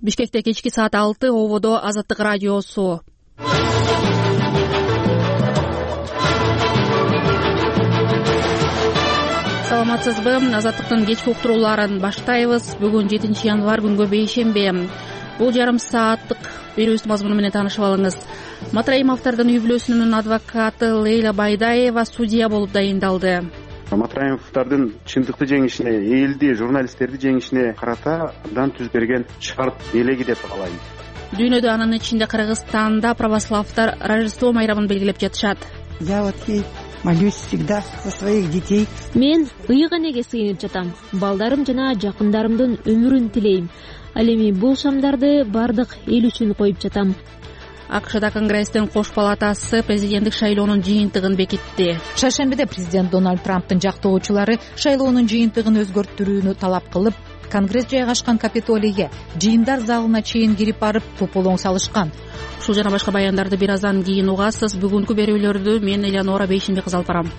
Бишкекте кечки саат 6 ободо Азаттык радиосу. Саламатсызбы? Азаттыктын кечки уктурууларын баштайбыз. Бүгүн 7 январь күнгө бейшембе. Бул жарым сааттык берүүбүздүн мазмуну менен таанышып алыңыз. Матраимовдордун үй бүлөсүнүн адвокаты Лейла Байдаева судья болуп дайындалды. Матраимовдордун чындыкты жеңишине, элди, журналисттерди жеңишине карата абдан түз берген шарт элеги деп каалайм. Дүйнөдө, анын ичинде Кыргызстанда православдар Рождество майрамын белгилеп жатышат. Я вот ей молюсь всегда за своих детей. Мен ыйык энеге сыйынып жатам. Балдарым жана жакындарымдын өмүрүн тилейм. Ал эми бул шамдарды бардык эл үчүн коюп жатам. АКШда Конгресстин кош палатасы президенттик шайлоонун жыйынтыгын бекитти. Шаршембиде президент Дональд Трамптын жактоочулары шайлоонун жыйынтыгын өзгөртүүнү талап кылып, Конгресс жайгашкан Капитолийге жыйындар залына чейин кирип барып тополоң салышкан. Ушул жана башка баяндарды бир аздан кийин угасыз. Бүгүнкү берүүлөрдү мен Элеонора Бейшенбек алып барам.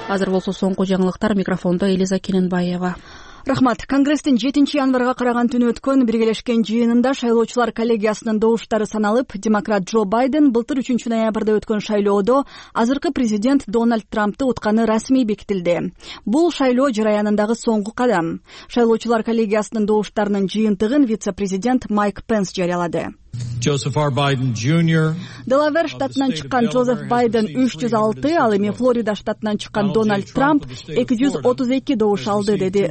Азыр болсо соңку жаңылыктар. Микрофондо Элиза Кененбаева. Рахмат. Конгресстин 7 январга караган түнү өткөн биргелешкен жыйынында шайлоочулар коллегиясынын добуштары саналып, демократ Джо Байден былтыр 3 ноябрда өткөн шайлоодо азыркы президент Дональд Трампты утканы расмий бекитилди. Бул шайлоо жараянындагы соңку кадам. Шайлоочулар коллегиясынын добуштарынын жыйынтыгын вице-президент Майк Пенс жарыялады. Joseph R. Biden Jr. Делавер штатынан чыккан Джозеф Байден 306, ал эми Флорида штатынан чыккан Дональд Трамп 232 добуш алды, деди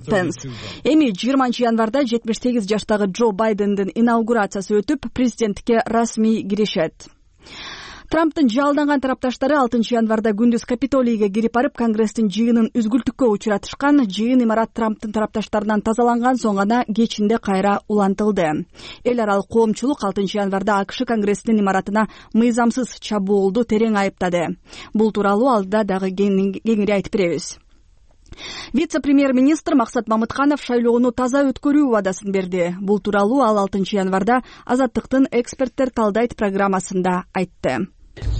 Пенс. Эми 20 январда 78 жаштагы Джо Байдендин инаугурациясы өтүп, президенттикке расмий киришет. Трамптын жалданган тарапташтары 6 январда күндүз Капитолийге кирип барып, Конгресстин жыйынын үзгүлтүккө учуратышкан. Жыйын имарат Трамптын тарапташтарынан тазаланган соң гана кечинде кайра улантылды. Эл аралык коомчулук 6 январда АКШ Конгресстин имаратына мыйзамсыз чабуулду терең айыптады. Бул тууралуу алда дагы кеңири айтып беребиз. Вице-премьер-министр Максат Мамытканов шайлоону таза өткөрүү убадасын берди. Бул тууралуу ал 6 январда Азаттыктын эксперттер талдайт программасында айтты.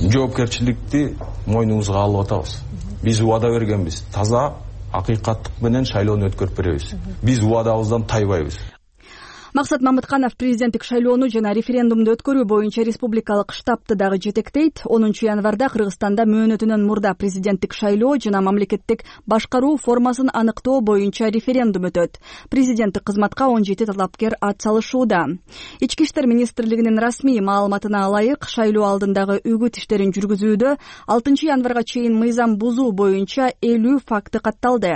Жоопкерчиликти мойнубузга алып атабыз. Биз убада бергенбиз. Таза, акыйкаттык менен шайлоону өткөрүп беребиз. Биз убадабыздан тайбайбыз. Максат Мамытканов президенттик шайлоону жана референдумду өткөрүү боюнча республикалык штабты дагы жетектейт. 10 январда Кыргызстанда мөөнөтүнөн мурда президенттик шайлоо жана мамлекеттик башкаруу формасын аныктоо боюнча референдум өтөт. Президенттик кызматка 17 талапкер ат салышууда. Ички иштер министрлигинин расмий маалыматына ылайык, шайлоо алдындагы үгүт иштерин жүргүзүүдө 6 январга чейин мыйзам бузуу боюнча 50 факты катталды.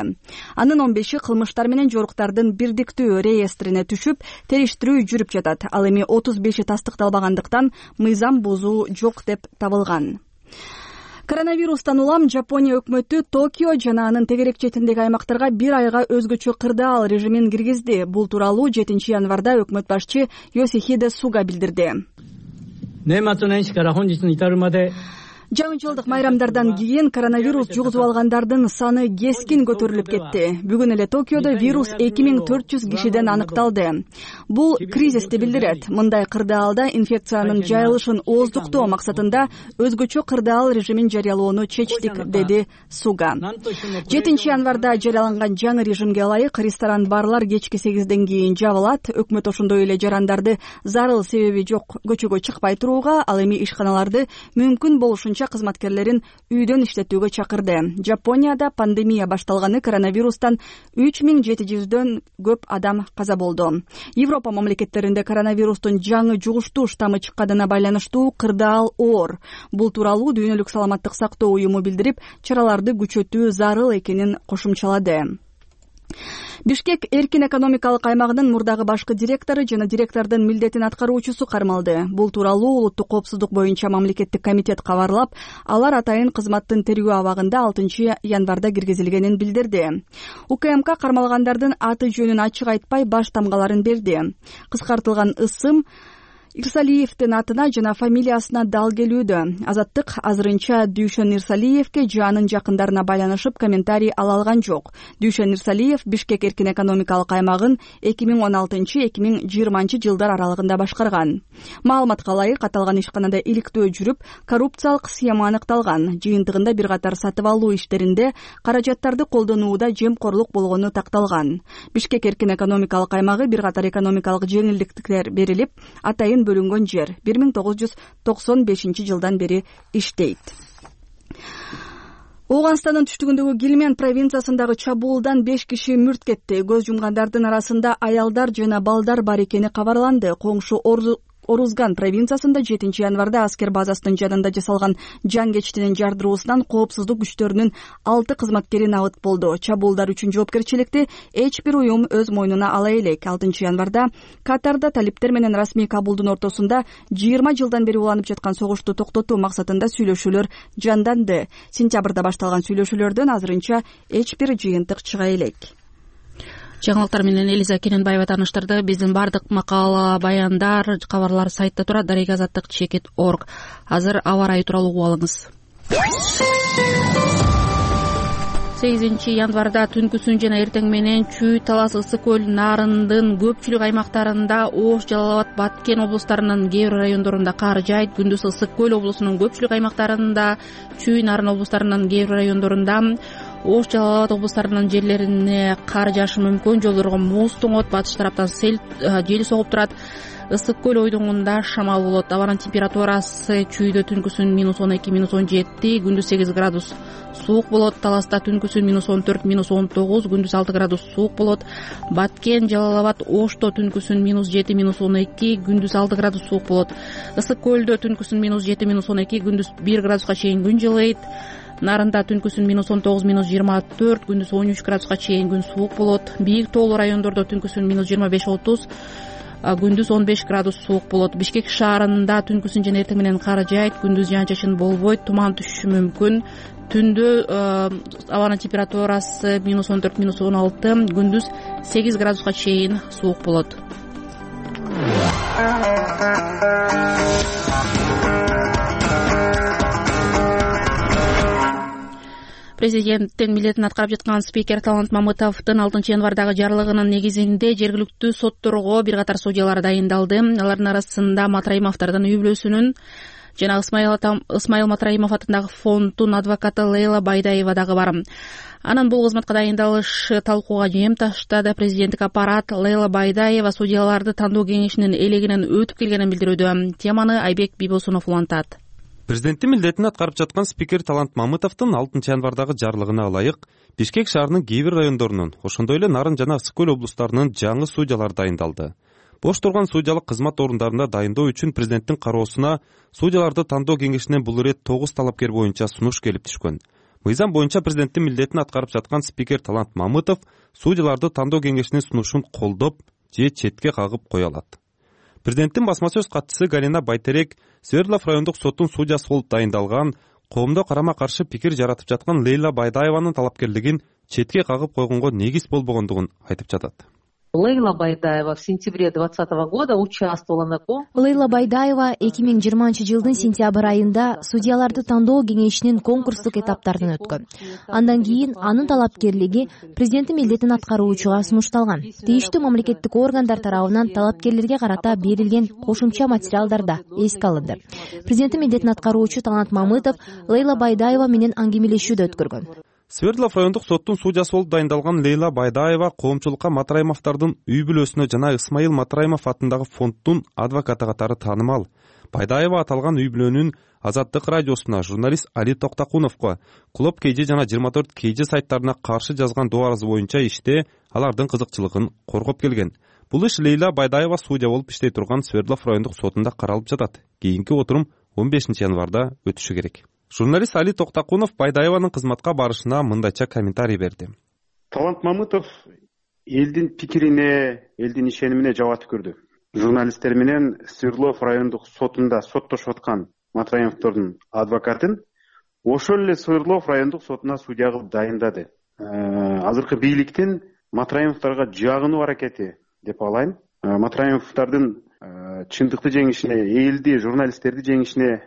Анын 15-и кылмыштар менен жоруктардын бирдиктүү реестрине түшүп, териштирүү жүрүп жатат. Ал эми 35-и тастыкталбагандыктан мыйзам бузуу жок деп табылган. Коронавирустан улам Жапония өкмөтү Токио жана анын тегерек четиндеги аймактарга 1 айга өзгөчө кырдаал режимин киргизди. Бул тууралуу 7 январда өкмөт башчы Йосихиде Суга билдирди. Жаңы-жылдык майрамдардан кийин коронавирус жугузуп алгандардын саны кескин көтөрүлүп кетти. Бүгүн эле Токиодо вирус 2400 кишиден аныкталды. Бул кризисти билдирет. Мындай кырдаалда инфекциянын жайылышын ооздуктоо максатында өзгөчө кырдаал режимин жарыялоону чечтик, деди Суга. 7 январда жарыяланган жаңы режимге ылайык ресторан, барлар кечки 8ден кийин жабылат. Өкмөт ошондой эле жарандарды зарыл себеби жок көчөгө чыкпай турууга, ал эми ишканаларды мүмкүн болушунча кызматкерлерин үйдөн иштетүүгө чакырды. Жапонияда пандемия башталганы коронавирустан 3700дөн көп адам каза болду. Европа мамлекеттеринде коронавирустун жаңы жугуштуу штаммы чыкканына байланыштуу кырдаал оор. Бул тууралуу Дүйнөлүк саламаттык сактоо уюму билдирип, чараларды күчөтүү зарыл экенин кошумчалады. Бишкек эркин экономикалык аймагынын мурдагы башкы директору жана директордун милдетин аткаруучусу кармалды. Бул тууралуу улуттук коопсуздук боюнча мамлекеттик комитет кабарлап, алар атайын кызматтын тергөө абагында 6 январда киргизилгенин билдирди. УКМК кармалгандардын аты жөнүн ачык айтпай баш тамгаларын берди. Кыскартылган ысым Ирсалиевдин атына жана фамилиясына дал келүүдө. Азаттык азырынча Дүйшөн Ирсалиевге жанын жакындарына байланышып комментарий ала алган жок. Дүйшөн Ирсалиев Бишкек эркин экономикалык аймагын 2016-2020 жылдар аралыгында башкарган. Маалыматка ылайык, аталган ишканада иликтөө жүрүп, коррупциялык схема аныкталган. Жыйынтыгында бир катар сатып алуу иштеринде каражаттарды колдонууда жемкорлук болгону такталган. Бишкек эркин экономикалык аймагы бир катар экономикалык жеңилдиктер берилип, атайын бөлүнгөн жер 1995 жылдан бери иштейт. Ооганстандын түштүгүндөгү Гилмен провинциясындагы чабуулдан 5 киши мүрт кетти. Көз жумгандардын арасында аялдар жана балдар бар экени кабарланды. Коңшу Орузган провинциясында 7 январда аскер базасынын жанында жасалган жангечтинин жардыруусунан коопсуздук күчтөрүнүн 6 кызматкери набыт болду. Чабуулдар үчүн жоопкерчиликти эч бир уюм өз мойнуна ала элек. 6 январда Катарда талиптер менен расмий Кабулдун ортосунда 20 жылдан бери уланып жаткан согушту токтотуу максатында сүйлөшүүлөр жанданды. Сентябрда башталган сүйлөшүүлөрдөн азырынча эч бир жыйынтык чыга элек. Жаңылыктар менен Элиза Кененбаева тааныштырды. Биздин бардык макала, баяндар, кабарлар сайтта турат. darek-azаттык.org. Азыр аба ырайы тууралуу угуп алыңыз. 8 январда түнкүсүн жана эртең менен Чүй, Талас, Ысык көл, Нарындын көпчүлүк аймактарында, Ош, Жалал Абад, Баткен облустарынын кээ бир райондорунда кар жайт. Күндүз Ысык көл облусунун көпчүлүк аймактарында, Чүй, Нарын облустарынын кээ бир райондорунда, Ош, Жалал Абад облустарынын жерлерине кар жаашы мүмкүн. Жолдорго муз тоңот, батыш тараптан жел согуп турат. Ысык көл ойдоңунда шамал болот. Абанын температурасы Чүйдө түнкүсүн -12, -17, күндүз 8 градус суук болот. Таласта түнкүсүн -14, -19, күндүз 6 градус суук болот. Баткен, Жалал Абад, Ошто түнкүсүн -7, -12, күндүз 6 градус суук болот. Ысык көлдө түнкүсүн -7, -12, күндүз 1 градуска чейин күн жылыйт. Нарында түнкүсүн -19, -24, күндүз 13 градуска чейин күн суук болот. Бийик тоолуу райондордо түнкүсүн -25-30, күндүз 15 градус суук болот. Бишкек шаарында түнкүсүн жана эртең менен кар жайт, күндүз жаан-чачын болбойт, туман түшүшү мүмкүн. Түндө абанын температурасы -14, -16, күндүз 8 градуска чейин суук болот. Президенттин милдетин аткарып жаткан спикер Талант Мамытовдун 6 январдагы жарлыгынын негизинде жергиликтүү сотторго бир катар судьялар дайындалды. Алардын арасында Матраимовдордун үй бүлөсүнүн жана Ысмайыл Матраимов атындагы фонддун адвокаты Лейла Байдаева дагы бар. Анын бул кызматка дайындалышы талкууга жем таштады. Президенттик аппарат Лейла Байдаева судьяларды тандоо кеңешинин элегинен өтүп келгенин билдирүүдө. Теманы Айбек Бибосунов улантат. Президенттин милдетин аткарып жаткан спикер Талант Мамытовдун 6 январдагы жарлыгына ылайык Бишкек шаарынын кээ бир райондорунун, ошондой эле Нарын жана Ысык көл облустарынын жаңы судьялары дайындалды. Бош турган судьялык кызмат орундарында дайындоо үчүн президенттин кароосуна судьяларды тандоо кеңешинен бул ирет 9 талапкер боюнча сунуш келип түшкөн. Мыйзам боюнча президенттин милдетин аткарып жаткан спикер Талант Мамытов судьяларды тандоо кеңешинин сунушун колдоп же четке кагып кое алат. Президенттин басма сөз катчысы Галина Байтерек Свердлов райондук соттун судьясы болуп дайындалган, коомдо карама каршы пикир жаратып жаткан Лейла Байдаеванын талапкерлигин четке кагып койгонго негиз болбогондугун айтып жатат. Лейла Байдаева в сентябре 2020 года участвовала на конкурсе. Лейла Байдаева 2020 жылдын сентябрь айында судьяларды тандоо кеңешинин конкурстук этаптарынан өткөн. Андан кийин анын талапкерлиги президенттин милдетин аткаруучуга сунушталган. Тийиштүү мамлекеттик органдар тарабынан талапкерлерге карата берилген кошумча материалдарда эске алынды. Президенттин милдетин аткаруучу Талант Мамытов Лейла Байдаева менен аңгемелешүүдө өткөргөн. Свердлов райондук соттун судьясы болуп дайындалган Лейла Байдаева коомчулукка Матраимовдордун үй бүлөсүнө жана Ысмайыл Матраимов атындагы фонддун адвокаты катары таанымал. Байдаева аталган үй бүлөнүн Азаттык радиосуна журналист Али Токтакуновго Клуб KG жана 24 KG сайттарына каршы жазган доо арызы боюнча иште алардын кызыкчылыгын коргоп келген. Бул иш Лейла Байдаева судья болуп иштей турган Свердлов райондук сотунда каралып жатат. Кийинки отурум 15 январда өтүшү керек. Журналист Али Токтакунов Байдаеванын кызматка барышына мындайча комментарий берди. Талант Мамытов элдин пикирине, элдин ишенимине жабат көрдү. Журналисттер менен Свердлов райондук сотунда соттошуп аткан Матраимовдордун адвокатын ошол эле Свердлов райондук сотуна судья кылып дайындады. Азыркы бийликтин Матраимовдорго жагынуу аракети деп алайын. Матраимовдордун чындыкты жеңишине, элди, журналисттерди жеңишине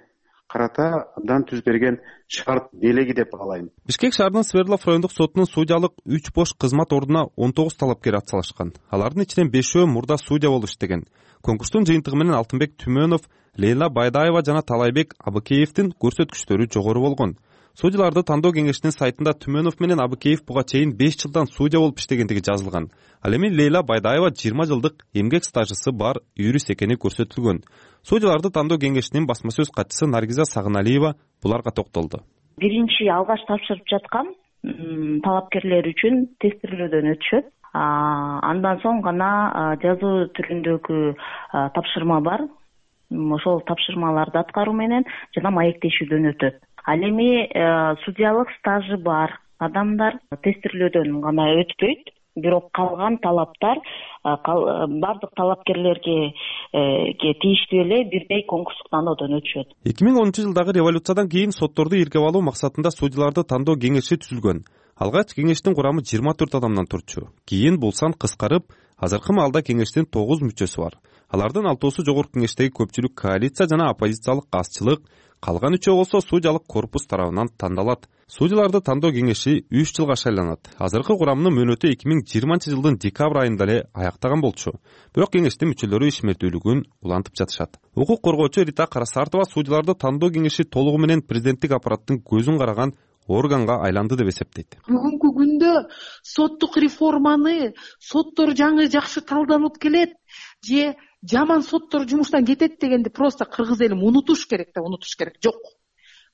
карата абдан түз берген шарт белеги деп каалайм. Бишкек шаарынын Свердлов райондук сотунун судьялык 3 бош кызмат ордуна 19 талапкер атсалышкан. Алардын ичинен 5өө мурда судья болуп иштеген. Конкурстун жыйынтыгы менен Алтынбек Түмөнов, Лейла Байдаева жана Талайбек Абыкеевдин көрсөткүчтөрү жогору болгон. Судьяларды тандоо кеңешинин сайтында Түмөнов менен Абыкеев буга чейин 5 жылдан судья болуп иштегендиги жазылган. Ал эми Лейла Байдаева 20 жылдык эмгек стажысы бар юрист экени көрсөтүлгөн. Судьяларды тандоо кеңешинин басма сөз катчысы Наргиза Сагыналиева буларга токтолду. Биринчи алгач тапшырып жаткан талапкерлер үчүн тестирлөөдөн өтүшөт. Андан соң гана жазуу түрүндөгү тапшырма бар. Ошол тапшырмаларды аткаруу менен жана маектешүүдөн өтөт. Ал эми судьялык стажы бар адамдар тестирлөөдөн гана өтпөйт, бирок калган талаптар бардык талапкерлерге тийиштүү эле бирдей конкурстук тандоодон өтүшөт. 2010 жылдагы революциядан кийин сотторду иргеп алуу максатында судьяларды тандоо кеңеши түзүлгөн. Алгач кеңештин курамы 24 адамдан турчу. Кийин бул сан кыскарып, азыркы маалда кеңештин 9 мүчөсү бар. Алардын 6-сы жогорку кеңештеги көпчүлүк коалиция жана оппозициялык азчылык, калган 3өө болсо судьялык корпус тарабынан тандалат. Судьяларды тандоо кеңеши 3 жылга шайланат. Азыркы курамынын мөөнөтү 2020 жылдын декабрь айында эле аяктаган болчу. Бирок кеңештин мүчөлөрү ишмердүүлүгүн улантып жатышат. Укук коргоочу Рита Карасартова судьяларды тандоо кеңеши толугу менен президенттик аппараттын көзүн караган органга айланды деп эсептейт. Бүгүнкү күндө соттук реформаны соттор жаңы жакшы талданып келет же жаман соттор жумуштан кетет дегенди просто кыргыз элим унутуш керек. Жок.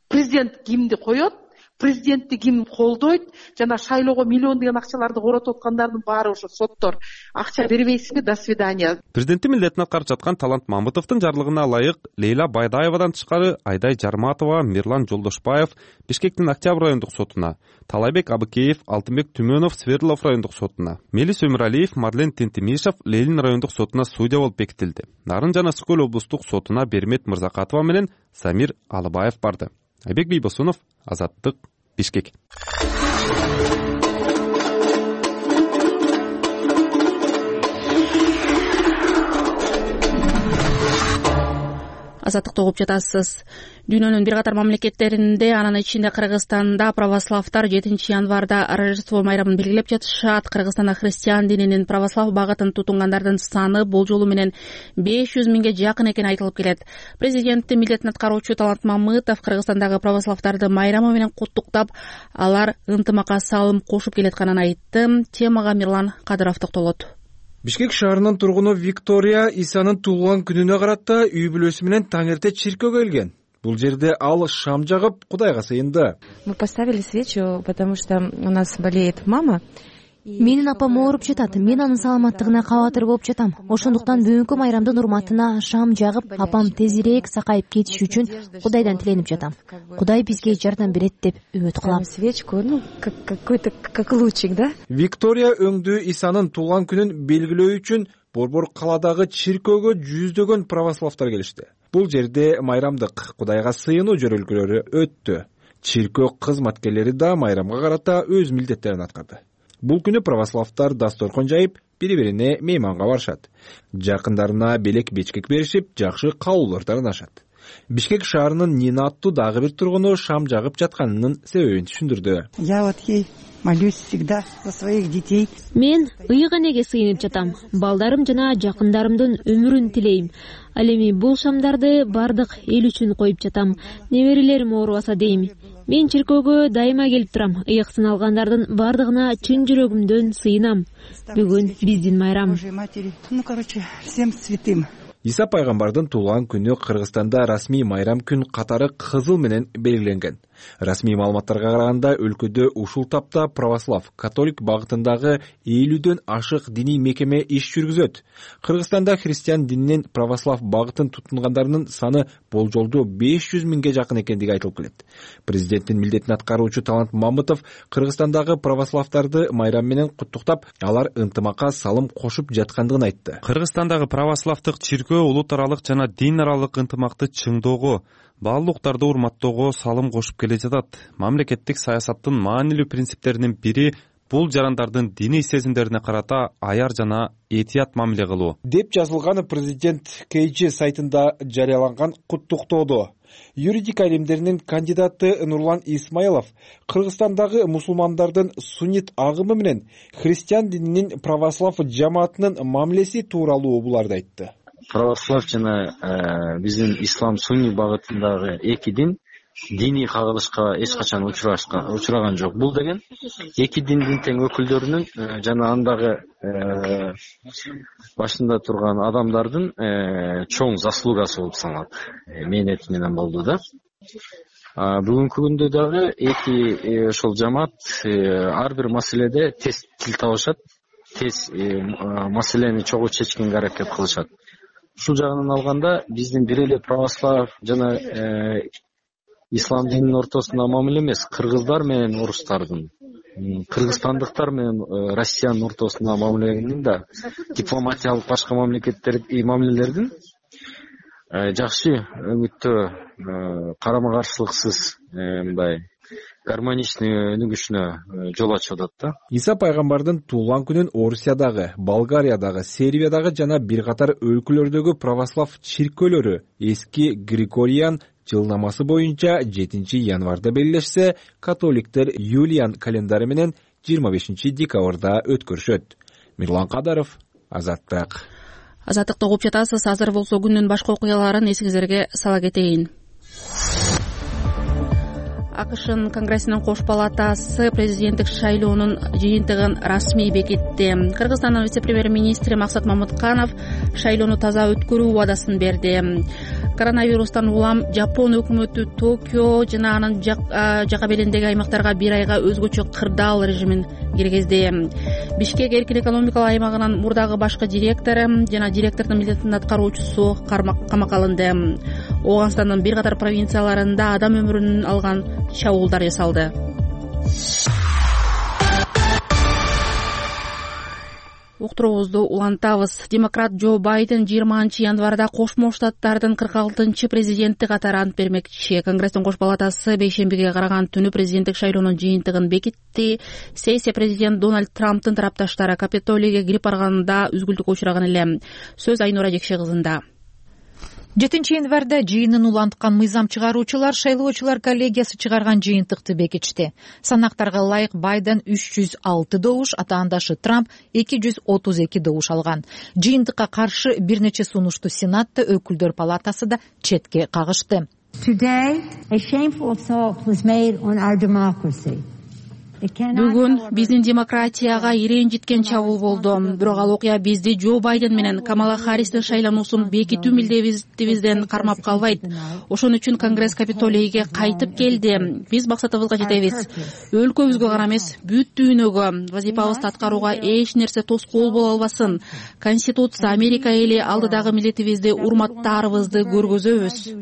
Президент кимди коет, президентти ким колдойт, жана шайлоого миллиондогон акчаларды коротуп аткандардын баары ошо соттор. Акча бербейсиңби, до свидания. Президенттин милдетин аткарып жаткан Талант Мамытовдун жарлыгына ылайык Лейла Байдаевадан тышкары Айдай Жарматова, Мирлан Жолдошбаев Бишкектин Октябрь райондук сотуна, Талайбек Абыкеев, Алтынбек Түмөнов Свердлов райондук сотуна, Мелис Өмүралиев, Мадлен Тентимишев Ленин райондук сотуна судья болуп бекитилди. Нарын жана Ысык Көл облустук сотуна Бермет Мырзакатова менен Самир Алыбаев барды. Айбек Бийбосунов, Азаттык, Бишкек. Азаттыкты угуп жатасыз. Дүйнөнүн бир катар мамлекеттеринде, анын ичинде Кыргызстанда православтар 7 январда Рождество майрамын белгилеп жатышат. Кыргызстанда христиан дининин православ багытын тутунгандардын саны болжолу менен 500 миңге жакын экени айтылып келет. Президенттин милдетин аткаруучу Талант Мамытов Кыргызстандагы православтарды майрамы менен куттуктап, алар ынтымакка салым кошуп келатканын айтты. Темага Мирлан Кадыров токтолот. Бишкек шаарынын тургуну Виктория Исанын туулган күнүнө карата үй бүлөсү менен таң эрте чиркөөгө келген. Бул жерде ал шам жагып Кудайга сыйынды. Мы поставили свечу, потому что у нас болеет мама. Менин апам ооруп жатат. Мен анын саламаттыгына кабатыр болуп жатам. Ошондуктан бүгүнкү майрамдын урматына шам жагып, апам тезирээк сакайып кетиши үчүн Кудайдан тиленип жатам. Кудай бизге жардам берет деп үмүт кылам. Свечку, какой-то как лучик, да? Виктория өңдүү Исанын туулган күнүн белгилөө үчүн Борбор каладагы чиркөөгө жүздөгөн православтар келишти. Бул жерде майрамдык Кудайга сыйынуу жөрөлгөлөрү өттү. Чиркөө кызматкерлери да майрамга карата өз милдеттерин аткарды. Бул күнү православтар дасторкон жайып, бири-бирине мейманга барышат. Жакындарына белек-бечкек беришип, жакшы каалоолор таанышат. Бишкек шаарынын Нина аттуу дагы бир тургуну шам жагып жатканынын себебин түшүндүрдү. Я вот ей молюсь всегда за своих детей. Мен ыйык энеге сыйынып жатам. Балдарым жана жакындарымдын өмүрүн тилейм. Ал эми бул шамдарды бардык эл үчүн коюп жатам. Неберелерим оорубаса дейм. Мен чиркөөгө дайыма келип турам. Ыйык сыналгандардын бардыгына чын жүрөгүмдөн сыйынам. Бүгүн биздин майрам. Ну, короче, всем святым. Иса пайгамбардын туулган күнү Кыргызстанда расмий майрам күн катары кызыл менен белгиленген. Расмий маалыматтарга караганда өлкөдө ушул тапта православ, католик багытындагы 50дөн ашык диний мекеме иш жүргүзөт. Кыргызстанда христиан дининин православ багытын тутунгандарынын саны болжолдуу 500 миңге жакын экендиги айтылып келет. Президенттин милдетин аткаруучу Талант Мамытов Кыргызстандагы православтарды майрам менен куттуктап, алар ынтымакка салым кошуп жаткандыгын айтты. Кыргызстандагы православдык чиркөө улут аралык жана дин аралык ынтымакты чыңдоого, баалуулуктарды урматтоого салым кошуп келе жатат. Мамлекеттик саясаттын маанилүү принциптеринин бири бул жарандардын диний сезимдерине карата аяр жана этият мамиле кылуу деп жазылган президент KG сайтында жарыяланган куттуктоодо. Юридика илимдеринин кандидаты Нурлан Исмаилов Кыргызстандагы мусулмандардын суннит агымы менен христиан дининин православ жамаатынын мамилеси тууралуу буларды айтты. Православ жана биздин ислам сунни багытындагы эки дин диний кагылышка эч качан учураган жок. Бул деген эки диндин тең өкүлдөрүнүн жана андагы башында турган адамдардын чоң заслугасы болуп саналат. Мээнети менен болду да. Бүгүнкү күндө дагы эки ошол жамаат ар бир маселеде тез тил табышат, тез маселени чогуу чечкенге аракет кылышат. Ушул жагынан алганда биздин бир эле православ жана ислам дининин ортосунда мамиле эмес, кыргыздар менен орустардын, кыргызстандыктар менен Россиянын ортосунда мамиленин да дипломатиялык башка мамилелердин жакшы өңүттө карама каршылыксыз мындай гармоничный өнүгүшүнө жол ачып атат да. Иса пайгамбардын туулган күнүн Орусиядагы, Болгариядагы, Сербиядагы жана бир катар өлкөлөрдөгү православ чиркөөлөрү эски Григориан жылнамасы боюнча 7 январда белгилешсе, католиктер Юлиан календары менен 25 декабрда өткөрүшөт. Мирлан Кадаров, Азаттык. Азаттыкты угуп жатасыз. Азыр болсо күндүн башка окуяларын эсиңиздерге сала кетейин. АКШнын Конгрессинин кош палатасы президенттик шайлоонун жыйынтыгын расмий бекитти. Кыргызстандын вице-премьер-министри Максат Мамытканов шайлоону таза өткөрүү убадасын берди. Коронавирустан улам Жапон өкмөтү Токио жана анын жака белиндеги аймактарга бир айга өзгөчө кырдаал режимин киргизди. Бишкек эркин экономикалык аймагынын мурдагы башкы директору жана директордун милдетин аткаруучусу камакка алынды. Ооганстандын бир катар провинцияларында адам өмүрүн алган чабуулдар жасалды. Уктуруубузду улантабыз. Демократ Джо Байден 20 январда Кошмо Штаттардын 46-чы президенти катары ант бермекчи. Конгресстин кош палатасы бейшембиге караган түнү президенттик шайлоонун жыйынтыгын бекитти. Сессия президент Дональд Трамптын тарапташтары Капитолийге кирип барганда үзгүлтүккө учураган эле. Сөз Айнура Жекше кызында. 7 январда жыйынын уланткан мыйзам чыгаруучулар шайлоочулар коллегиясы чыгарган жыйынтыкты бекитти. Санактарга ылайык Байден 306 добуш, атаандашы Трамп 232 добуш алган. Жыйынтыкка каршы бир нече сунушту Сенатта өкүлдөр палатасы да четке кагышты. Бүгүн биздин демократияга иренжиткен чабуул болду. Бирок ал окуя бизди Джо Байден менен Камала Харристин шайлануусун бекитүү милдетибизден кармап калбайт. Ошон үчүн Конгресс Капитолийге кайтып келди. Биз максатыбызга жетебиз. Өлкөбүзгө гана эмес, бүт дүйнөгө вазифабызды аткарууга эч нерсе тоскоол боло албасын. Конституция Америка эли алдыдагы милдетибизди урматтаарыбызды көргөзөбүз.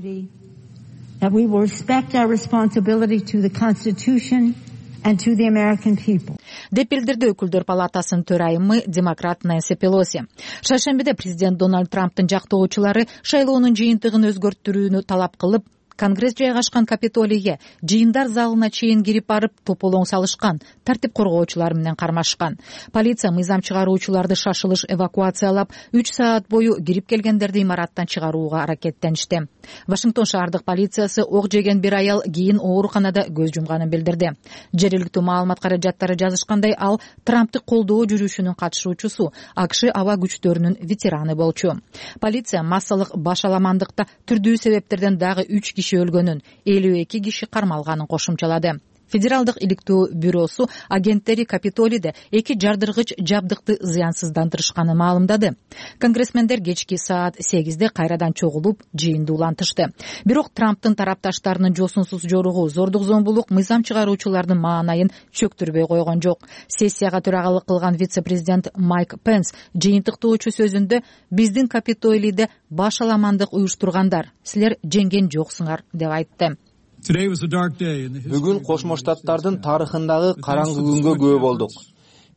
Деп билдирди өкүлдөр палатасынын төрайымы демократ Нэнси Пелоси. Шаршембиде президент Дональд Трамптын жактоочулары шайлоонун жыйынтыгын өзгөртүүнү талап кылып, Конгресс жайгашкан Капитолийге жыйындар залына чейин кирип барып тополоң салышкан, тартип коргоочулар менен кармашкан. Полиция мыйзам чыгаруучуларды шашылыш эвакуациялап, 3 саат бою кирип келгендерди имараттан чыгарууга аракеттеништи. Вашингтон шаардык полициясы ок жеген бир аял кийин ооруканада көз жумганын билдирди. Жергиликтүү маалымат каражаттары жазышкандай, ал Трампты колдоо жүрүшүнүн катышуучусу, АКШ аба күчтөрүнүн ветераны болчу. Полиция массалык башаламандыкта түрдүү себептерден дагы 3 киши өлгөнүн, 52 киши кармалганын кошумчалады. Федералдык иликтөө бюросу агенттери Капитолийде 2 жардыргыч жабдыкты зыянсыздандырышканын маалымдады. Конгрессмендер кечки саат 8-де кайрадан чогулуп, жыйынды улантышты. Бирок Трамптын тарапташтарынын жосунсуз жоругу, зордук зомбулук мыйзам чыгаруучулардын маанайын чөктүрбөй койгон жок. Сессияга төрагалык кылган вице-президент Майк Пенс жыйынтыктоочу сөзүндө биздин Капитолийде башаламандык уюштургандар, силер жеңген жоксуңар деп айтты. Бүгүн Кошмо Штаттардын тарыхындагы караңгы күнгө күбө болдук.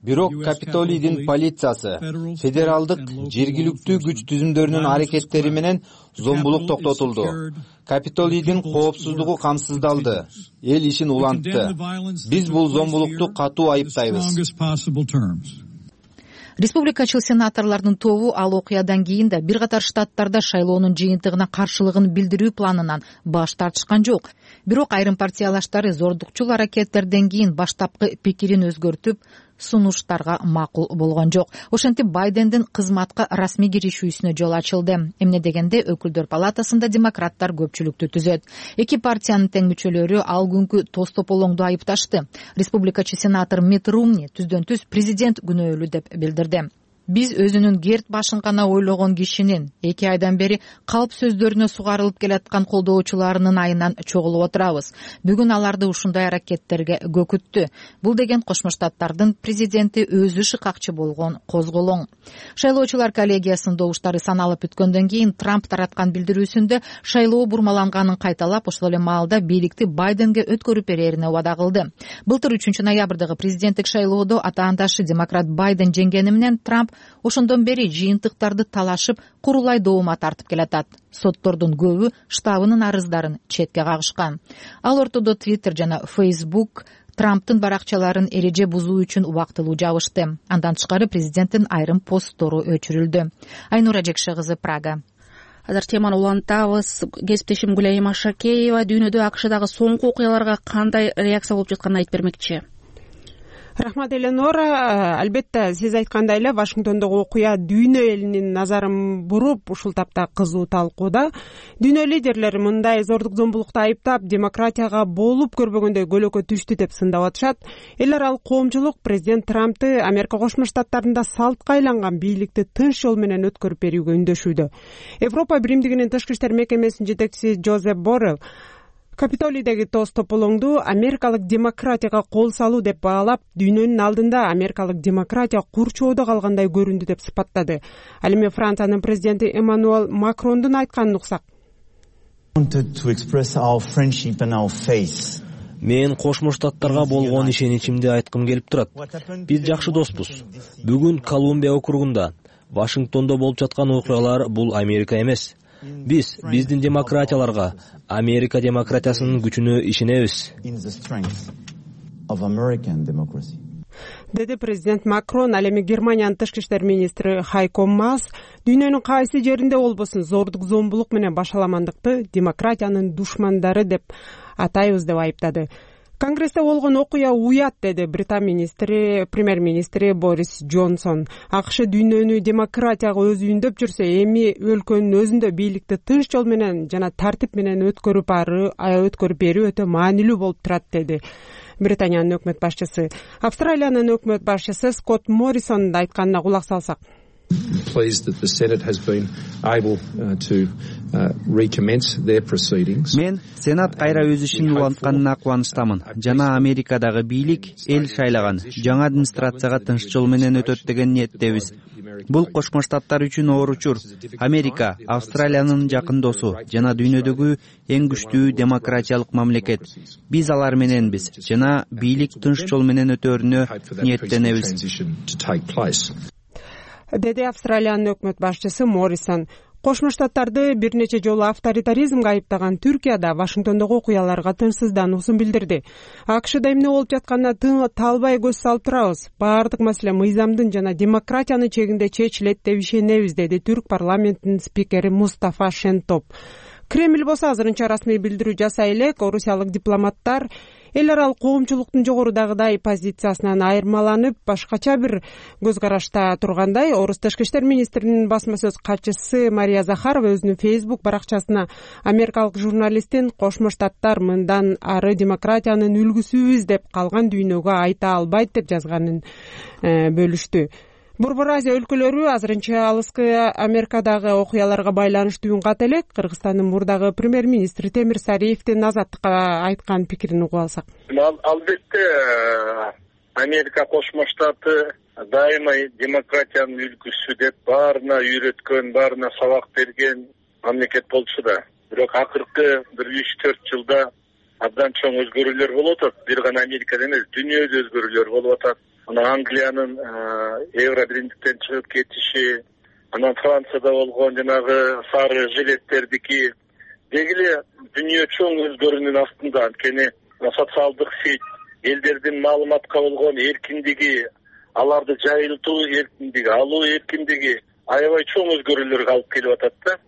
Бирок Капитолийдин полициясы, федералдык, жергиликтүү күч түзүмдөрүнүн аракеттери менен зомбулук токтотулду. Капитолийдин коопсуздугу камсыздалды. Эл ишин улантты. Биз бул зомбулукту катуу айыптайбыз. Республикачыл сенаторлордун тобу ал окуядан кийин да бир катар штаттарда шайлоонун жыйынтыгына каршылыгын билдирүү планынан баш тартышкан жок. Бирок айрым партиялаштары зордукчул аракеттерден кийин баштапкы пикирин өзгөртүп, сунуштарга макул болгон жок. Ошентип Байдендин кызматка расмий киришүүсүнө жол ачылды. Эмне дегенде өкүлдөр палатасында демократтар көпчүлүктү түзөт. Эки партиянын тең мүчөлөрү ал күнкү тоз тополоңду айыпташты. Республикачы сенатор Митт Ромни түздөн түз президент күнөөлүү деп билдирди. Биз өзүнүн керт башын гана ойлогон кишинин 2 айдан бери калп сөздөрүнө сугарылып келаткан колдоочуларынын айынан чогулуп отурабыз. Бүгүн аларды ушундай аракеттерге көкүттү. Бул деген Кошмо Штаттардын президенти өзү шыкакчы болгон козголоң. Шайлоочулар коллегиясынын добуштары саналып бүткөндөн кийин Трамп тараткан билдирүүсүндө шайлоо бурмаланганын кайталап, ошол эле маалда бийликти Байденге өткөрүп берерине убада кылды. Былтыр 3 ноябрдагы президенттик шайлоодо атаандашы демократ Байден жеңгени менен Трамп ошондон бери жыйынтыктарды талашып, курулай доомат тартып келатат. Соттордун көбү штабынын арыздарын четке кагышкан. Ал ортодо Twitter жана Facebook Трамптын баракчаларын эреже бузуу үчүн убактылуу жабышты. Андан тышкары президенттин айрым посттору өчүрүлдү. Айнура Жекше кызы, Прага. Азыр теманы улантабыз. Кесиптешим Гүлайым Ашакеева дүйнөдө АКШдагы соңку окуяларга кандай реакция болуп жатканын айтып бермекчи. Рахмат, Эленора. Албетте, сиз айткандай эле Вашингтондогу окуя дүйнө элинин назарын буруп, ушул тапта кызуу талкууда. Дүйнө лидерлери мындай зордук зомбулукту айыптап, демократияга болуп көрбөгөндөй көлөкө түштү деп сындап атышат. Эл аралык коомчулук президент Трампты Америка Кошмо Штаттарында салтка айланган бийликти тынч жол менен өткөрүп берүүгө үндөшүүдө. Европа Биримдигинин тышкы иштер мекемесинин жетекчиси Жозеп Боррелл Капитолийдеги тоз тополоңду америкалык демократияга кол салуу деп баалап, дүйнөнүн алдында америкалык демократия курчоодо калгандай көрүндү деп сыпаттады. Ал эми Франциянын президенти Эммануэль Макрондун айтканын уксак. Мен Кошмо Штаттарга болгон ишеничимди айткым келип турат. Биз жакшы доспуз. Бүгүн Колумбия округунда, Вашингтондо болуп жаткан окуялар бул Америка эмес. Биздин демократияларга, Америка демократиясынын күчүнө ишенебиз. Деди президент Макрон. Ал эми Германиянын тышкы иштер министри Хайко Маас дүйнөнүн кайсы жеринде болбосун зордук зомбулук менен башаламандыкты демократиянын душмандары деп атайбыз деп айыптады. Конгрессте болгон окуя уят, деди Британ премьер-министри Борис Джонсон. АКШ дүйнөнү демократияга өзү үндөп жүрсө, эми өлкөнүн өзүндө бийликти тынч жол менен жана тартип менен өткөрүп берүү өтө маанилүү болуп турат, деди Британиянын өкмөт башчысы. Австралиянын өкмөт башчысы Скотт Моррисонун айтканына кулак салсак. Мен Сенат кайра өз ишин улантканына кубанычтамын. Жана Америкадагы бийлик эл шайлаган жаңы администрацияга тынч жол менен өтөт деген ниеттебиз. Бул Кошмо Штаттар үчүн оор учур. Америка Австралиянын жакын досу жана дүйнөдөгү эң күчтүү демократиялык мамлекет. Биз алар мененбиз жана бийлик тынч жол менен өтөрүнө ниеттенебиз, деди Австралиянын өкмөт башчысы Моррисон. Кошмо Штаттарды бир нече жолу авторитаризмге айыптаган Түркия да Вашингтондогу окуяларга тынчсыздануусун билдирди. АКШда эмне болуп жатканына талбай көз салып турабыз. Баардык маселе мыйзамдын жана демократиянын чегинде чечилет деп ишенебиз, деди Түрк парламентинин спикери Мустафа Шентоп. Кремль болсо азырынча расмий билдирүү жасай элек. Орусиялык дипломаттар эл аралык коомчулуктун жогорудагыдай позициясынан айырмаланып, башкача бир көз карашта тургандай. Орус тышкы иштер министринин басма сөз катчысы Мария Захарова өзүнүн Facebook баракчасына америкалык журналисттин Кошмо Штаттар мындан ары демократиянын үлгүсүбүз деп калган дүйнөгө айта албайт деп жазганын бөлүштү. Борбор Азия өлкөлөрү азырынча алыскы Америкадагы окуяларга байланыштуу үн ката элек. Кыргызстандын мурдагы премьер-министри Темир Сариевдин Азаттыкка айткан пикирин угуп алсак. Албетте Америка Кошмо Штаты дайыма демократиянын үлгүсү деп баарына үйрөткөн, баарына сабак берген мамлекет болчу да. Бирок акыркы 1-3-4 жылда абдан чоң өзгөрүүлөр болуп атат. Бир гана Америкада эмес, дүйнөдө өзгөрүүлөр болуп атат. анан Англиянын Евро биримдиктен чыгып кетиши, анан Францияда болгон жанагы сары жилеттердики деги эле дүйнө чоң өзгөрүүнүн астында. Анткени социалдык сет, элдердин маалыматка болгон эркиндиги, аларды жайылтуу эркиндиги, алуу эркиндиги аябай чоң өзгөрүүлөргө алып келип атат да.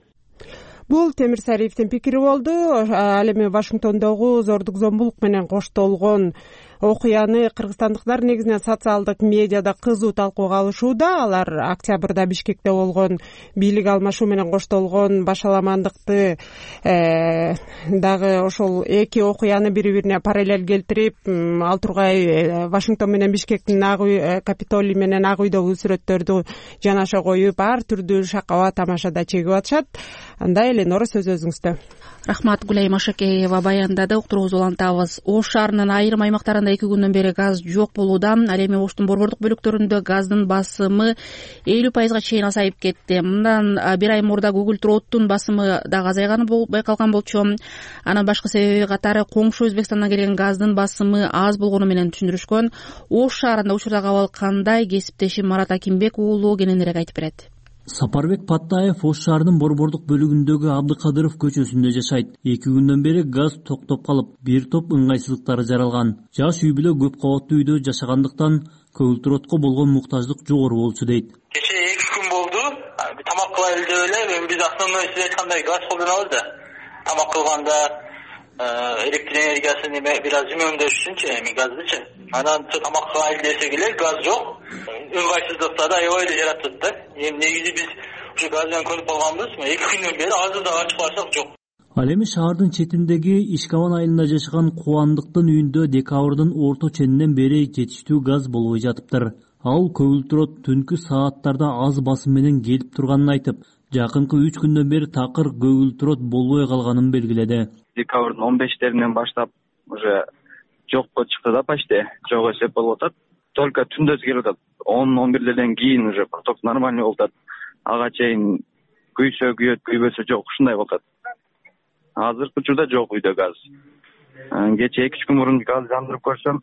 Бул Темир Сариевдин пикири болду. Ал эми Вашингтондогу зордук зомбулук менен коштолгон окуяны кыргызстандыктар негизинен социалдык медиада кызуу талкууга алышууда. Алар октябрда Бишкекте болгон бийлик алмашуу менен коштолгон башаламандыкты дагы ошол эки окуяны бири-бирине параллель келтирип, ал тургай Вашингтон менен Бишкектин Капитолий менен Ак үйдөгү сүрөттөрдү жанаша коюп, ар түрдүү шакаба тамашада чегип атышат. Анда Эленора, сөз өзүңүздө. Рахмат, Гүлай Машакеева баяндады. Уктурубузду улантабыз. Ош шаарынын айрым аймактарында 2 күндөн бери газ жок болууда. Ал эми Оштун борбордук бөлүктөрүндө газдын басымы 50%га чейин азайып кетти. Мындан бир ай мурда Google Trot'тун басымы дагы азайганы байкалган болчу. Анан башкы себеби катары коңшу Өзбекстандан келген газдын басымы аз болгону менен түшүндүрүшкөн. Ош шаарында учурдагы абал кандай? Кесиптешим Марат Акимбек уулу кененирээк айтып берет. Сапарбек Паттаев Ош шаарынын борбордук бөлүгүндөгү Абдыкадыров көчөсүндө жашайт. 2 күндөн бери газ токтоп калып, бир топ ыңгайсыздыктар жаралган. Жаш үй бүлө көп кабаттуу үйдө жашагандыктан көгүлтүрөткө болгон муктаждык жогору болчу дейт. Кече 2 күн болду. Тамак кылайлы деп эле, биз основной сиз айткандай газ колдонобуз да. Тамак кылганда электр энергиясын бир аз үнөмдөш үчүнчү, эми газдычы. Анан тамак кылайлы десек эле газ жок. Ыңгайсыздыкта да аябай эле жаратат да. Эми негизи биз ушу газ менен көнүп калганбыз. 2 күндөн бери азыр да ачып карасак жок. Ал эми шаардын четиндеги Ишкабан айылында жашаган Кубандыктын үйүндө декабрдын орто ченинен бери жетиштүү газ болбой жатыптыр. Ал көгүлтүрөт түнкү сааттарда аз басым менен келип турганын айтып, жакынкы 3 күндөн бери такыр көгүлтүрөт болбой калганын белгиледи. Декабрдын 15-теринен баштап уже жокко чыкты да, почти жок эсеп болуп атат. Только түндөс келип атат. 10-11ден кийин уже поток нормальный болуп атат. Ага чейин күйсө күйөт, күйбөсө жок, ушундай болуп атат. Азыркы учурда жок үйдө газ. Кече 2 күн мурун газ жандырып көрсөм,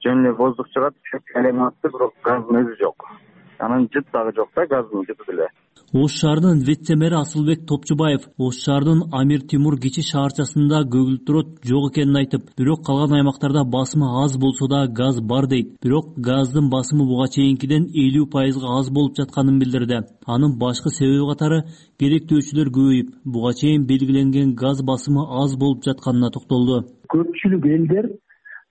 жөн эле воздух чыгат, элем атты, бирок газдын өзү жок. Анан жыт дагы жок да, газдын жыты деле. Ош шаарынын вице-мэри Асылбек Топчубаев Ош шаарынын Амир Тимур кичи шаарчасында көгүлтүрөт жок экенин айтып, бирок калган аймактарда басымы аз болсо да газ бар дейт. Бирок газдын басымы буга чейинкиден 50%га аз болуп жатканын билдирди. Анын башкы себеби катары керектөөчүлөр көбөйүп, буга чейин белгиленген газ басымы аз болуп жатканына токтолду. Көпчүлүк элдер,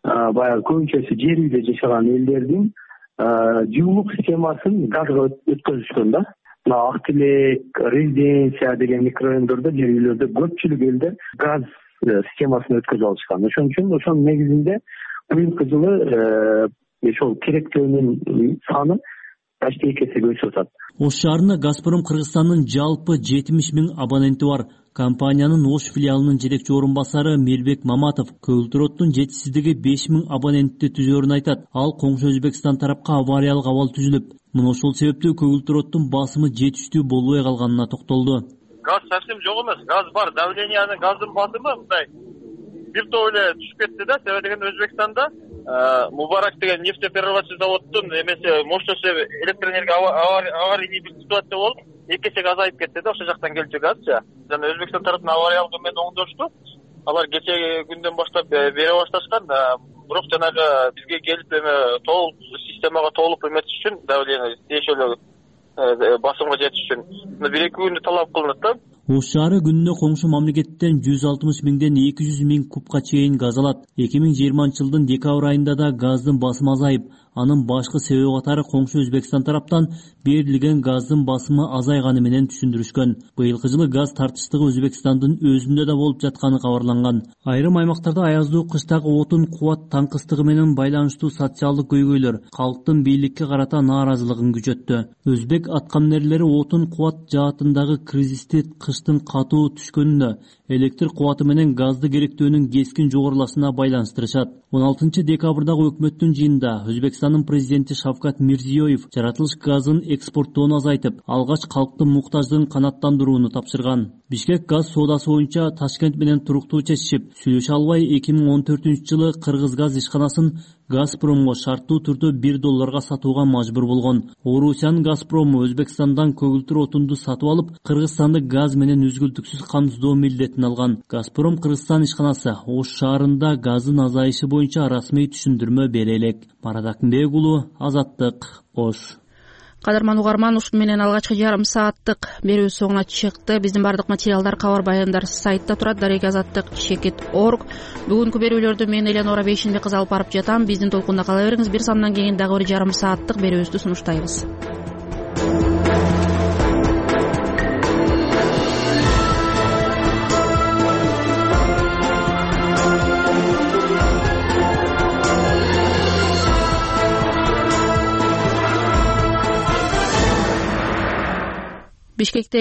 баягы көбүнчөсү жер үйдө жашаган элдердин жылуулук системасын газга өткөзүшкөн да. Ак Тилек, Резиденция деген микрорайондордо, жер үйлөрдө көпчүлүк элдер газ системасын өткөзүп алышкан. Ошон үчүн ошонун негизинде быйылкы жылы ошол керектөөнүн саны почти 2 эсеге өсүп атат. Ош шаарында Газпром Кыргызстандын жалпы 70.000 абоненти бар. Компаниянын Ош филиалынын жетекчи орун басары Мирбек Маматов көгүлтүрөттүн жетишсиздиги 5.000 абонентти түзөрүн айтат. Ал коңшу Өзбекстан тарапка авариялык абал түзүлүп, мына ошол себептүү көгүлтүрөттүн басымы жетиштүү болбой калганына токтолду. Газ совсем жок эмес, газ бар, давлениянын газдын басымы мындай бир топ эле түшүп кетти да. Себеби дегенде Өзбекстанда Мубарак деген нефтеперерабатывающий заводдун эмеси мощности электр энергия аварийный бир ситуация болуп 2 эсеге азайып кетти да, ошол жактан келчү газчы. Жана Өзбекстан тарапынан авариялык менен оңдошту. Алар кечеги күндөн баштап бере башташкан, бирок жанагы бизге келип толук системага толук эметиш үчүн давление тиешелүү басымга жетиш үчүн 1-2 күндө талап кылынат да. Ош шаары күнүнө коңшу мамлекеттен 160.000ден 200.000 кубка чейин газ алат. 2020-жылдын декабрь айында да газдын басымы азайып, анын башкы себеби катары коңшу Өзбекстан тараптан берилген газдын басымы азайганы менен түшүндүрүшкөн. Быйылкы жылы газ тартыштыгы Өзбекстандын өзүндө да болуп жатканы кабарланган. Айрым аймактарда аяздуу кыштагы отун кубат таңкыстыгы менен байланыштуу социалдык көйгөйлөр калктын бийликке карата нааразылыгын күчөттү. Өзбек аткаминерлери отун кубат жаатындагы кризисти кыштын катуу түшкөнүнө, электр кубаты менен газды керектөөнүн кескин жогорулашына байланыштырышат. 16-декабрдагы өкмөттүн жыйынында Өзбекстандын президенти Шавкат Мирзиёев жаратылыш газын экспорттоону азайтып, алгач калктын муктаждыгын канааттандырууну тапшырган. Бишкек газ соодасы боюнча Ташкент менен туруктуу чечишип, сүйлөшө албай 2014-жылы Кыргыз газ ишканасын Газпромго шарттуу түрдө $1 сатууга мажбур болгон. Орусиянын Газпрому Өзбекстандан көгүлтүр отунду сатып алып, Кыргызстанды газ менен үзгүлтүксүз камсыздоо милдетин алган. Газпром Кыргызстан ишканасы Ош шаарында газдын азайышы боюнча расмий түшүндүрмө бере элек. Марат Акынбек уулу, Азаттык, Ош. Кадырман угарман, ушуну менен алгачкы жарым сааттык берүүбүз соңуна чыкты. Биздин бардык материалдар, кабар баяндар сайтта турат, darek-azаттык.org. Бүгүнкү берүүлөрдү мен Эленора Бейшенбек кызы алып барып жатам. Биздин толкунда кала бериңиз. Бир самдан кийин дагы бир жарым сааттык берүүбүздү сунуштайбыз. Бишкекте